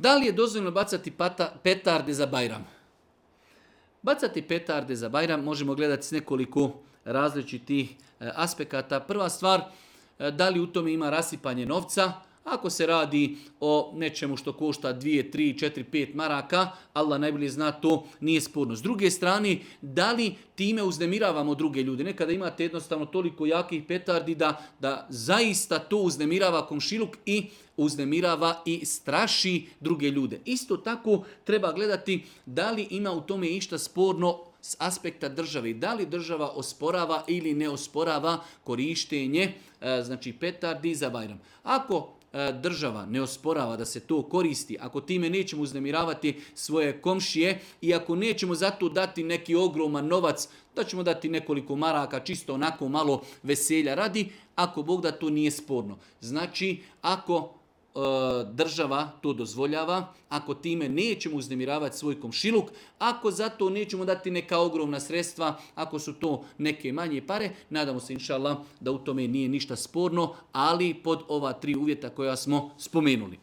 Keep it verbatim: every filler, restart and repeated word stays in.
Da li je dozvoljeno bacati pata, petarde za Bajram? Bacati petarde za Bajram možemo gledati s nekoliko različitih aspekata. Prva stvar, da li u tome ima rasipanje novca? Ako se radi o nečemu što košta dvije, tri, četiri, pet maraka, Allah najbolje zna, to nije sporno. S druge strane, da li time uznemiravamo druge ljude? Nekada imate jednostavno toliko jakih petardi da, da zaista to uznemirava komšiluk i uznemirava i straši druge ljude. Isto tako treba gledati da li ima u tome išta sporno s aspekta države. Da li država osporava ili ne osporava korištenje znači petardi za Bajram. Ako država ne osporava da se to koristi, ako time nećemo uznemiravati svoje komšije i ako nećemo zato dati neki ogroman novac, da ćemo dati nekoliko maraka, čisto onako malo veselja radi, ako Bog da to nije sporno. Znači, ako država to dozvoljava, ako time nećemo uznemiravati svoj komšiluk, ako zato nećemo dati neka ogromna sredstva, ako su to neke manje pare, nadamo se inša Allah da u tome nije ništa sporno, ali pod ova tri uvjeta koja smo spomenuli.